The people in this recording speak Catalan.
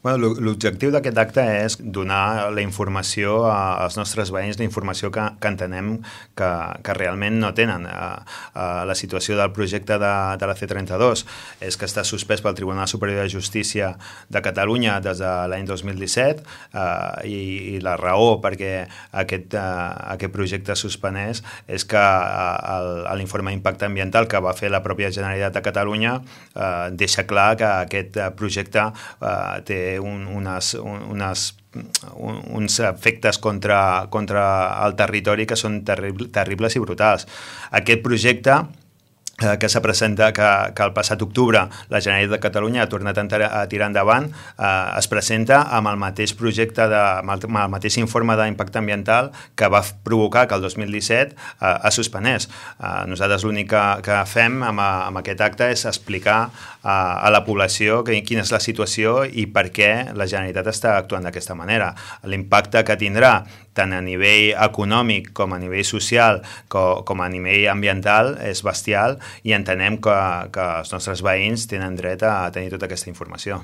L'objectiu d'aquest acte és donar la informació als nostres veïns, la informació que entenem que realment no tenen. La situació del projecte de la C32 és que està suspès pel Tribunal Superior de Justícia de Catalunya des de l'any 2017 i la raó perquè aquest projecte suspenès és que l'informe d'impacte ambiental que va fer la pròpia Generalitat de Catalunya deixa clar que aquest projecte té uns efectes contra el territori que són terribles i brutals. Aquest projecte que s'ha presentat, que el passat octubre la Generalitat de Catalunya ha tornat a tirar endavant, es presenta amb el mateix projecte, amb el mateix informe d'impacte ambiental que va provocar que el 2017 es suspenés. Nosaltres l'únic que fem amb aquest acte és explicar a la població quina és la situació i per què la Generalitat està actuant d'aquesta manera. L'impacte que tindrà tant a nivell econòmic com a nivell social com a nivell ambiental és bestial i entenem que els nostres veïns tenen dret a tenir tota aquesta informació.